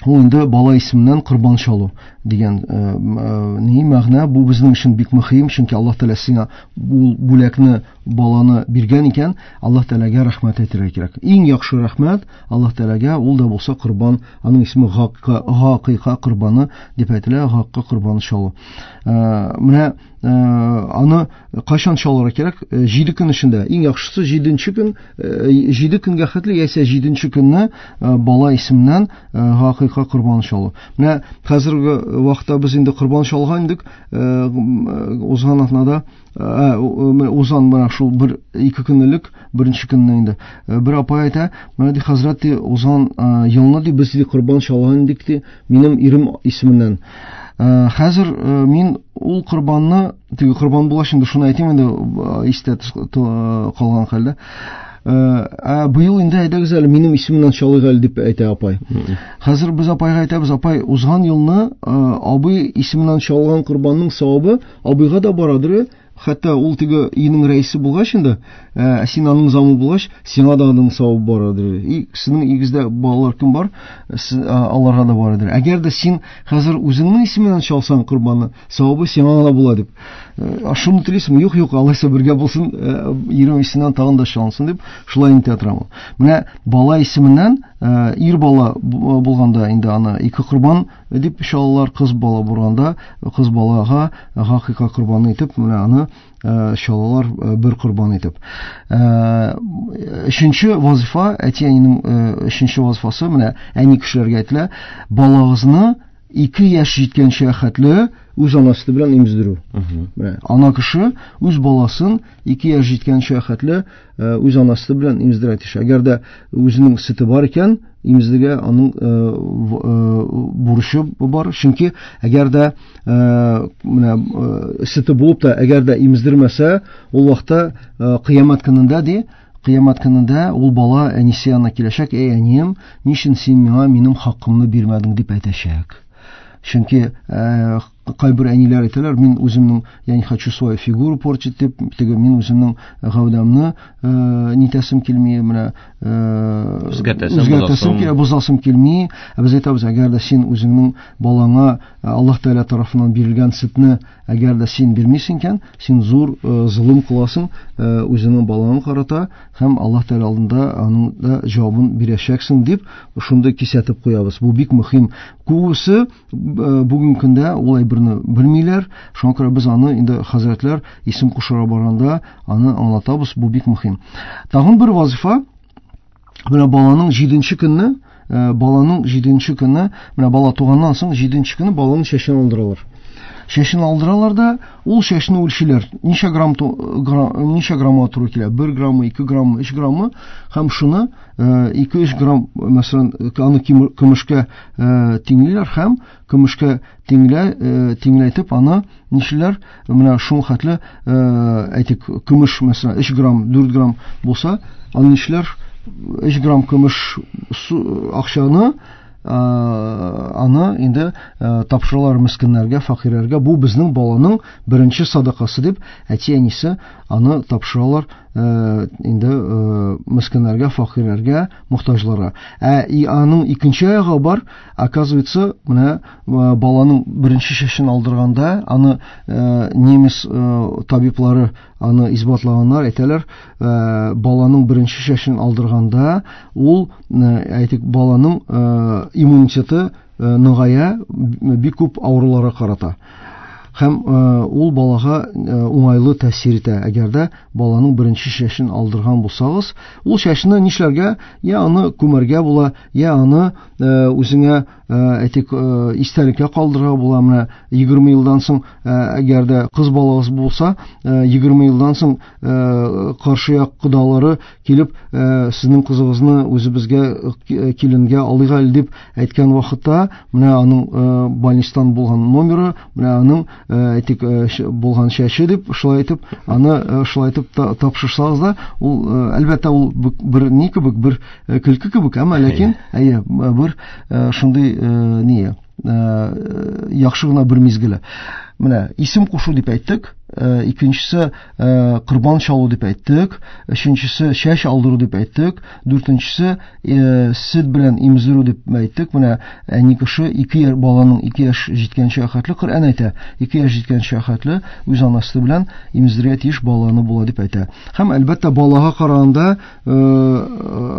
ул инде бала исеменнән корбан чалу дигән ни мәгънә. Бу безнең өчен бик мөһим, чөнки Аллаһ Тәгалә сиңа бу бүләкне, баланы биргән икән, Аллаһ Тәгаләгә рәхмәт әйтергә кирәк. Иң яхшы рәхмәт Аллаһ Тәгаләгә ул да булса корбан, аның исеме гакыйка корбаны дип әйтелә, гакка корбаны чалу. Менә аны кайчан чалырга кирәк? Җиде көн эчендә. Иң яхшысы җиденче көн, җиде көнгә хәтле яисә җиденче көнне бала исеменнән гакыйка корбаны чалу. Менә хәзерге вакытта без инде корбан чалган идек, узган атнада, узган менә шул бер ике көн элек, беренче көнне инде бер апай әйтә, менә ди хәзрәт, ди, узган елны ди без ди корбан чалган идек ди, минем ирем исеменнән. Хәзер мин ул корбанны, теге корбан булгач инде шуны әйтим инде, истә калган хәлдә. Ә быел инде әйдәгез әле минем исемемнән чалыйк әле дип әйтә апай. Хәзер без апайга әйтәбез, апай, узган елны абый исеменнән чалган корбанның савабы абыйга да барадыр. Хәтта ул теге өйнең рәисе булгач инде, ә син аның замы булгач, сиңа да аның савабы барадыр. И сезнең өегездә балалар кем бар, аларга да барадыр. Әгәр дә син хәзер үзеңнең исемеңнән чалсаң корбанны, савабы сиңа гына була дип. Шуны телисеңме? Юк, юк, алайса бергә булсын, ирем исеменнән тагын да чалынсын дип, шулай инде торам. Менә бала исеменнән ир бала булганда инде аны ике корбан дип чалалар, кыз бала булганда кыз балага гакыйка корбаны итеп, менә аны чалалар бер корбан итеп. Өченче вазифа, әти-әнинең өченче вазифасы, менә әни кешеләргә әйтелә, балагызны ике яшь җиткәнчә хәтле үз анасы белән имездерү. Менә ана кеше үз баласын ике яшь җиткәнчә хәтле үз анасы белән имездерә тиеш. Әгәр дә үзенең сөте бар икән, имездергә аның бурычы бар. Чөнки әгәр дә менә сөте булып та, әгәр дә имездермәсә, ул вакытта кыямәт көнендә ди, кыямәт көнендә ул бала әнисе янына киләчәк, "Эй, әнием, ни өчен син миңа минем хакымны бирмәдең?" дип әйтәчәк. Чөнки кайбер әниләр әйтәләр, мин үземнең, я не хочу свою фигуру портить дип, теге мин үземнең гәүдәмне нитәсем килми, менә үзгәртәсем килә, бозасым килми. Ә без әйтәбез, әгәр дә син үзеңнең балаңа Аллаһ Тәгалә тарафыннан бирелгән сөтне әгәр дә син бирмисең икән, син зур золым кыласың үзеңнең балаңа карата һәм Аллаһ Тәгалә алдында аның да җавабын бирәчәксең дип шундый кисәтеп куябыз. Бу бик мөһим. Күбесе бүгенге көндә ул әйберне белмиләр. Шуңа күрә без аны инде хәзрәтләр исем кушыра барганда аны аңлатабыз. Бу бик мөһим. Тагын бер вазифа, менә баланың җиденче көнне, баланың җиденче көнне, менә бала туганнан соң җиденче көнне баланың чәчен алдыралар. Чәчен алдыралар да, ул чәчне үлчиләр. Ничә грамм, ничә граммга туры килә? бер граммы, ике граммы, өч граммы һәм шуны ике-өч грамм, мәсәлән, аны көмешкә тиңлиләр һәм көмешкә тиңлә, тиңләйтеп аны нишлиләр? Менә шул хәтле, әйтик, көмеш, мәсәлән, өч грамм, дүрт грамм булса, аны нишлиләр? өч грамм көмеш акчаны аны инде тапшыралар мескеннәргә, фәкыйрьләргә. Бу безнең баланың беренче садакасы дип әти-әнисе аны тапшыралар инде мескеннәргә, фәкыйрьләргә, мохтаҗларга. Ә аның икенче ягы бар, оказывается, менә баланың беренче чәчен алдырганда аны немец табиблары аны исбатлаганнар, әйтәләр, баланың беренче чәчен алдырганда ул, әйтик, баланың иммунитеты ныгая, бик күп авыруларга карата. Һәм ул балага уңайлы тәэсир итә. Әгәр дә баланың беренче чәчен алдырган булсагыз, ул чәчне нишләргә? Я аны күмәргә була, я аны үзеңә, әйтик, истәлеккә калдырырга була. Менә егерме елдан соң, әгәр дә кыз балагыз булса, егерме елдан соң каршы як кодалары килеп, сезнең кызыгызны үзебезгә киленгә алыйк әле дип әйткән вакытта, менә аның больницадан булган номеры, менә аның, әйтик, булган чәче дип, шулай итеп, аны шулай итеп тапшырсагыз да, ул, әлбәттә, ул бер ни кебек, бер көлке кебек, әмма ләкин, әйе, бер шундый ни, яхшы гына бер мизгеле. Менә исем кушу дип әйттек, икенчесе корбан чалу дип әйттек, өченчесе чәч алдыру дип әйттек, дүртенчесе сөт белән имзерү дип әйттек. Менә әни кеше ике баланың ике яшь җиткәнче хәтле Коръән әйтә, ике яшь җиткәнче хәтле үз анасы белән имзерергә тиеш баланы була дип әйтә. Һәм әлбәттә балага караганда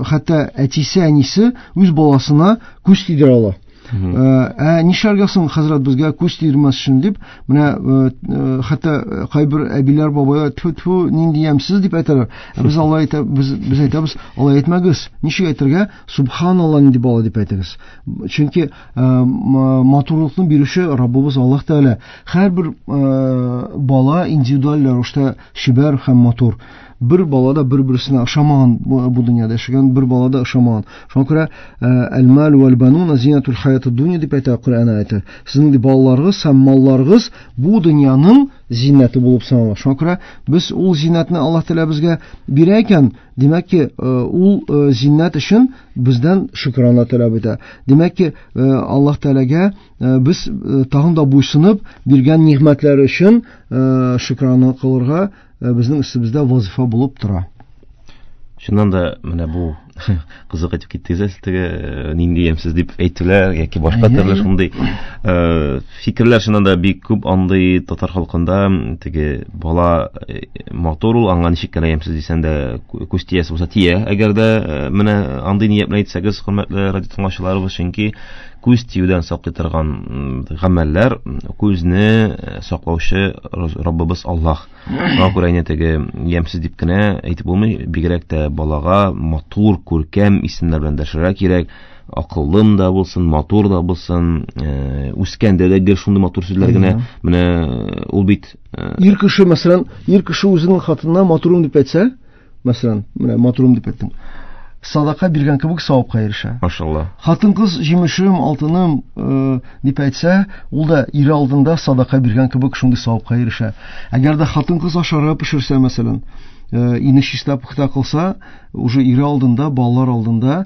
хәтта әтисе, әнисе үз баласына күз тидерә ала. Ә нишләргә соң, хәзрәт, безгә күз тидермәс өчен дип, менә хәтта кайбер әбиләр, бабайлар, тфү-тфү, нинди ямьсез дип әйтәләр. Без алай әйтә, без, без әйтәбез, алай әйтмәгез. Ничек әйтергә? Субханалла нинди бала дип әйтегез. Чөнки матурлыкны бирүче Раббыбыз Аллаһ Тәгалә. Һәрбер бала индивидуаль рәвештә чибәр һәм матур. Бер бала да бер-берсенә ошамаган, бу дөньяда яшәгән бер бала да ошамаган. Шуңа күрә әл-мал вәл-банун зинатул хаятид дөнья дип әйтә Коръән аяты. Сезнең балаларыгыз һәм малларыгыз бу дөньяның зиннәте булып санала. Шуңа күрә без ул зиннәтне Аллаһ Тәгалә безгә бирә икән, димәк ки, ул зиннәт өчен бездән шөкрана таләп итә. Димәк ки, Аллаһ Тәгаләгә без тагын да буйсынып биргән нигъмәтләре өчен шөкрана кылырга безнең өстебездә вазифа булып тора. Чыннан да менә бу кызык әйтеп киттегез, теге нинди ямьсез дип әйтүләр яки башка төрле шундый фикерләр чыннан да бик күп андый татар халкында. Теге бала матур ул, аңа ничек кенә ямьсез дисәң дә күз тиясе булса тия. Әгәр дә менә андый ният белән әйтсәгез, хөрмәтле радио тыңлаучыларыбыз, чөнки күз тиюдән саклый торган гамәлләр күзне саклаучы Раббыбыз Аллаһ. Шуңа күрә инде теге ямьсез дип кенә әйтеп булмый, бигрәк тә балага матур, күркәм исемнәр белән дәшәргә кирәк. Акыллым да булсын, матур да булсын, үскәндә дә гел шундый матур сүзләр генә. Менә ул бит ир кеше, мәсәлән, ир кеше үзенең хатынына матурым дип әйтсә, мәсәлән, менә матурым дип әйттең, садака биргән кебек савапка ирешә. Машалла. Хатын-кыз җимешем, алтыным дип әйтсә, ул да ире алдында садака биргән кебек шундый савапка ирешә. Әгәр дә хатын-кыз ашарга пешерсә, мәсәлән, ине чиста пөхтә кылса, уже ире алдында, балалар алдында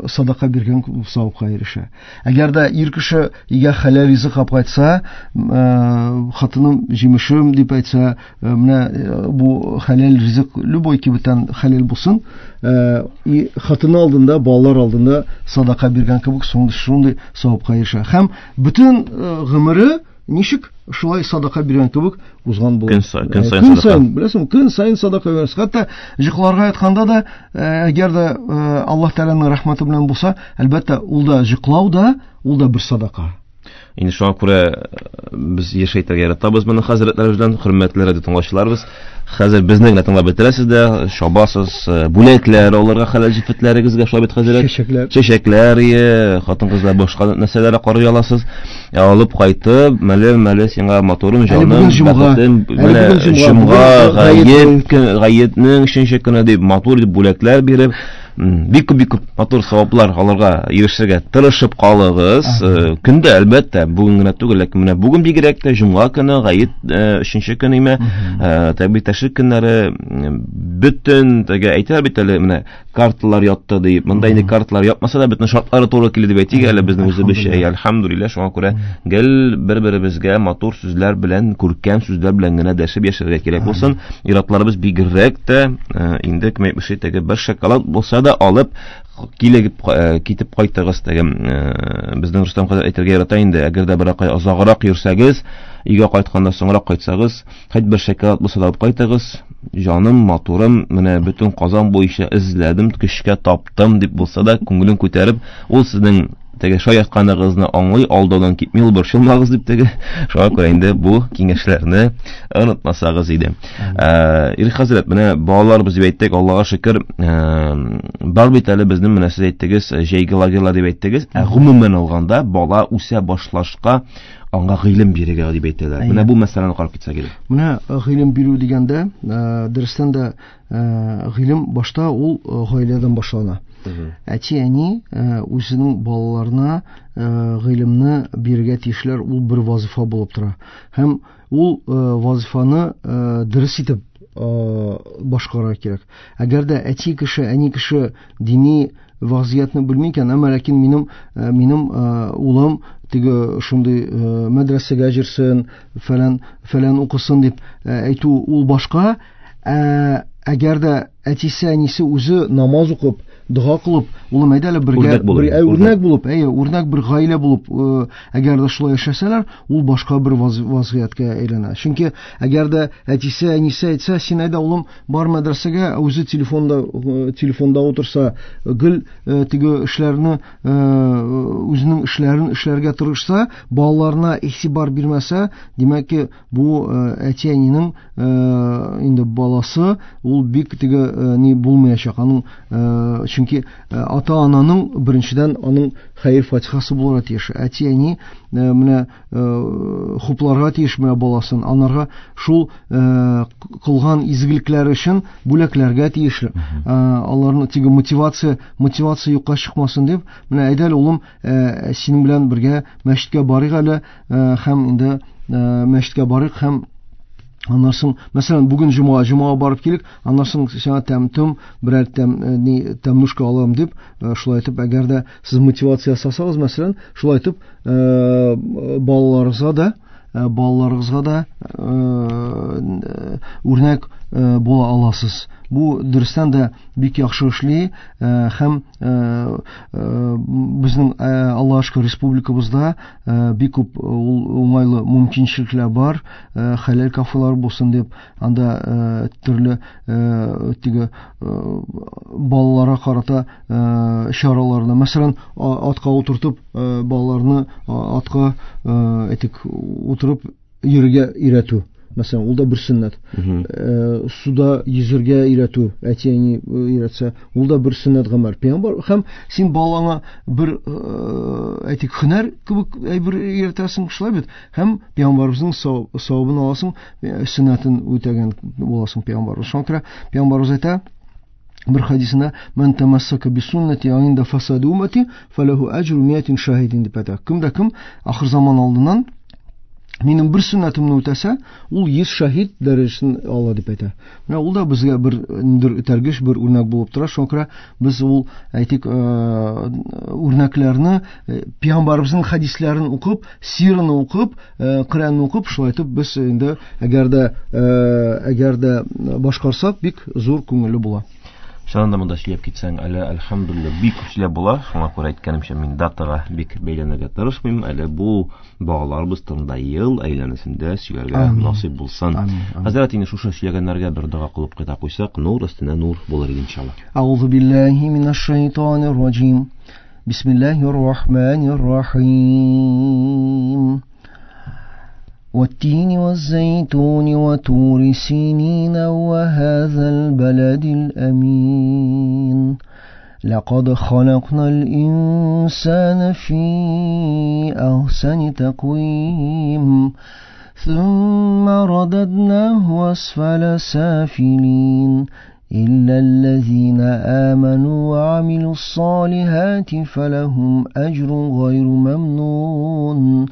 садака биргән савапка ирешә. Әгәр дә ир кеше өйгә хәләл ризык алып кайтса, хатыным җимешем дип әйтсә, менә бу хәләл ризык любой кибеттән хәләл булсын, хатыны алдында, балалар алдында садака биргән кебек шундый савапка ирешә. Һәм бөтен гомере ничек шулай садака биргән кебек узган була. Көн саен, көн саен садака. Беләсең, көн саен садака бирәсез. Хәтта йокларга ятканда да, әгәр дә Аллаһ Тәгаләнең рәхмәте белән булса, әлбәттә, ул да йоклау да, ул да бер садака. Инде шуңа күрә без еш әйтергә яратабыз моны хәзрәтләребез белән, хөрмәтле радио тыңлаучыларыбыз. Хәзер безне генә тыңлап бетерәсез дә, чабасыз, бүләкләр алырга хәләл җефетләрегезгә, шулай бит, хәзрәт? Чәчәкләр. Чәчәкләр, хатын-кызлар башка нәрсәләр карый аласыз. Алып кайтып, мәле, мәле сиңа матурым, җаным, бәхетем, менә җомга, гает, гаетнең өченче көне дип матур дип бүләкләр биреп, Бик күп, бик күп матур саваплар алырга ирешергә тырышып калыгыз. Көндә, әлбәттә, бүген генә түгел, ләкин менә бүген бигрәк тә җомга көне, гает өченче көн име, тәкбир тәшрик көннәре, бөтен теге әйтәләр бит әле, менә карталар ятты дип. Монда инде карталар ятмаса да бөтен шартлары туры килде дип әйтик әле безнең үзебезчә. Әлхәмдүлилләһ, шуңа күрә гел бер-беребезгә матур сүзләр белән, күркәм сүзләр белән генә дәшеп яшәргә кирәк булсын. Иратларыбыз бигрәк тә инде кем әйтмешли, теге бер шоколад булса да алып килеп китеп кайтыгыз. Теге безнең Рөстәм хәзрәт әйтергә ярата инде, әгәр дә берәр кай озаграк йөрсәгез, өйгә кайтканда соңрак кайтсагыз, хәт бер шоколад булса да алып кайтыгыз. Җаным, матурым, менә бөтен Казан буенча эзләдем, көчкә таптым дип булса да, күңелен күтәреп, ул сезнең теге шаяртканыгызны аңлый, алдаудан китми, ул борчылмагыз дип теге. Шуңа күрә инде бу киңәшләрне онытмасагыз иде. Ирек хәзрәт, менә балаларыбыз дип әйттек, Аллага шөкер, бар бит әле безнең, менә сез әйттегез, җәйге лагерьлар дип әйттегез. Ә гомумән алганда бала үсә башлашка аңа гыйлем бирергә дип әйтәләр. Менә бу мәсьәләне карап китсәк иде. Менә гыйлем бирү дигәндә, дөрестән дә гыйлем башта ул гаиләдән башлана. Әти-әни үзенең балаларына гыйлемне бирергә тиешләр, ул бер вазифа булып тора. Һәм ул вазифаны дөрес итеп башкарырга кирәк. Әгәр дә әти кеше, әни кеше дини вазиятны белми икән, әмма ләкин минем минем улым теге шундый мәдрәсәгә йөрсен, фәлән фәлән укысын дип әйтү ул башка. Әгәр дә әтисе, әнисе үзе намаз укып, дога кылып, улым әйдә әле бергә бер үрнәк булып, әйе, үрнәк бер гаилә булып, әгәр дә шулай яшәсәләр, ул башка бер вазгыятькә әйләнә. Чөнки әгәр дә әтисе, әнисе әйтсә, син әйдә улым бар мәдрәсәгә, үзе телефонда телефонда утырса, гел теге эшләрне, үзенең эшләрен эшләргә тырышса, балаларына игътибар бирмәсә, димәк ки, бу әти-әнинең инде баласы ул бик теге ни булмаячак. Аның чөнки ата-ананың беренчедән аның хәер фатихасы булырга тиеш. Әти-әни менә хупларга тиеш менә баласын, анарга шул кылган изгелекләре өчен бүләкләргә тиешле. Аларны теге мотивация, мотивация юкка чыкмасын дип, менә әйдә әле улым, синең белән бергә мәчеткә барыйк әле, һәм инде мәчеткә барыйк һәм аннан соң, мәсәлән, бүген җомга, җомга барып килик, аннан соң сиңа тәм-түм, берәр тәм, ни, тәмнушка алам дип, шулай итеп, әгәр дә сез мотивация ясасагыз, мәсәлән, шулай итеп, балаларыгызга да, балаларыгызга да үрнәк була аласыз. Бу дөрестән дә бик яхшы эшли, һәм безнең Аллаһка шөкер республикабызда бик күп уңайлы мөмкинчелекләр бар, хәләл кафелар булсын дип, анда төрле теге балаларга карата чараларны, мәсәлән, атка утыртып, балаларны атка әйтик утырып йөрергә өйрәтү. Мәсәлән, ул да бер сөннәт. Суда йөзергә өйрәтү, әти-әни өйрәтсә, ул да бер сөннәт гамәл. Пәйгамбәр һәм син балаңа бер әйтик һөнәр кебек әйбер өйрәтәсең, шулай бит. Һәм пәйгамбәребезнең савабын аласың, сөннәтен үтәгән буласың пәйгамбәребез. Шуңа күрә пәйгамбәребез әйтә бер хадисендә: "Ман тамассака би суннати инда фасади уммати фалаху аҗру миатин шаһидин" дип әйтә. Кем дә кем ахыр заман алдыннан минем бер сөннәтемне үтәсә, ул йөз шаһид дәрәҗәсен ала дип әйтә. Менә ул да безгә бер ниндидер этәргеч, бер үрнәк булып тора. Шуңа күрә без ул әйтик үрнәкләрне, пәйгамбәребезнең хәдисләрен укып, сираны укып, Коръәнне укып, шулай итеп без инде әгәр дә әгәр дә башкарсак, бик зур күңелле була. Чыннан да монда сөйләп китсәң, әле әлхәмдүлилләһ бик күп сөйләп була. Шуңа күрә әйткәнемчә, мин датага бик бәйләнергә тырышмыйм. Әле бу балаларыбыз турында ел әйләнәсендә сөйләргә насыйп булсын. Хәзрәт, инде шушы сөйләгәннәргә бер дога кылып кайта куйсак, нур өстенә нур булыр иде иншалла. Аузу биллаһи минаш шайтанир раҗим. Бисмиллаһир рахманир рахим. والتين والزيتون وطور سينين وهذا البلد الأمين لقد خلقنا الإنسان في أحسن تقويم ثم رددناه أسفل سافلين إلا الذين آمنوا وعملوا الصالحات فلهم أجر غير ممنون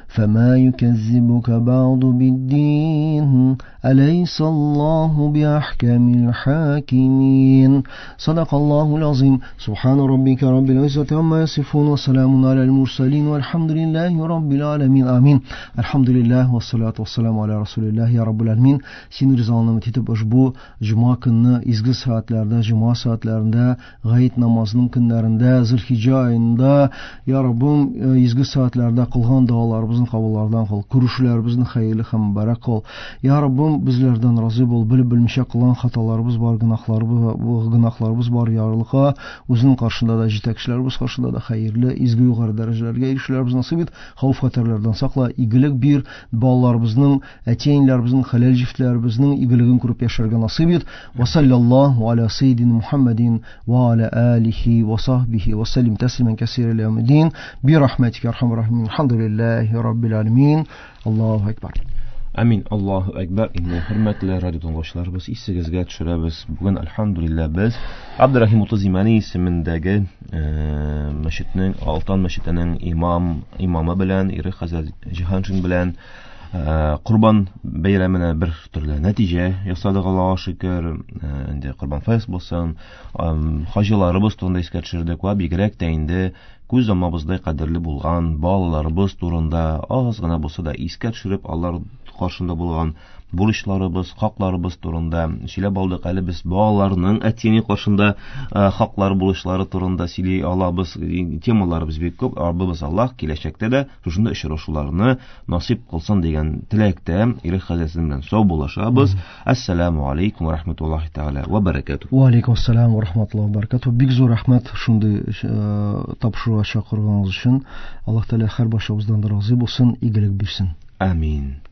فما يكذبك بعد بالدين أليس الله بأحكم الحاكمين. صدق الله العظيم. سبحان ربك رب العزة عما يصفون وسلام على المرسلين والحمد لله رب العالمين. آمين. الحمد لله والصلاة والسلام على رسول الله. Ya Rabbul Alamin, senin rızanı ümit bu cuma günü izgi saatlerde, cuma saatlerinde, gayet namazının günlerinde, Zülhicce ayında Ya Rabbim izgi saatlerde kılgan dualarımızın kabullardan kıl, görüşlerimizin hayırlı hem mübarek kıl. Ya Rabbim bizlerden razı bol, bilip bilmişe kılan hatalarımız var, günahlarımız, günahlarımız var yarlığa. Özünün karşında da jitekçilerimiz karşında da hayırlı, izgi yukarı derecelerge erişilerimiz nasip et. Havf haterlerden sakla, igilik bir ballarımızın, eteyinlerimizin, halal ciftlerimizin igiligini kurup yaşarga nasip et. Ve sallallahu ala seyyidina Muhammedin ve ala alihi ve sahbihi ve sellim teslimen kesire ile yevmiddin. Bi rahmetike erhamer rahimin. Elhamdülillahi Rabbil alemin. Allahu Ekber. Amin. Allahu Ekber. Инде хөрмәтле радио тыңлаучыларыбыз, исегезгә төшерәбез. Бүген әлхәмдүлилләһ без Абдурахим Утыз Имани исемендәге мәчетнең, Алтан мәчетенең имам имамы белән Ирек хәзрәт Җиһаншин белән Корбан бәйрәменә бер төрле нәтиҗә ясадык, Аллаһка шөкер. Инде Корбан фәс булсын, хаҗиларыбыз турында искә төшердек ва бигрәк тә инде күз алмабыздай кадерле булган балаларыбыз турында аз гына булса да искә төшереп, алар каршында булган бурычларыбыз, хакларыбыз турында сөйләп алдык. Әле без балаларның әти-әни каршында хаклары, бурычлары турында сөйли алабыз. Темаларыбыз бик күп. Раббыбыз Аллаһ киләчәктә дә шушында очрашуларны насыйп кылсын дигән теләктә Ирек хәзрәт белән саубуллашабыз. Ассаламу алейкум ва рахматуллаһи тааля ва баракатуһ. Ва алейкум ассалам ва рахматуллаһи ва баракатуһ. Бик зур рәхмәт шундый тапшыруга чакырганыгыз өчен. Аллаһ Тәгалә һәр башыбыздан да разый булсын, игелек бирсен. Амин.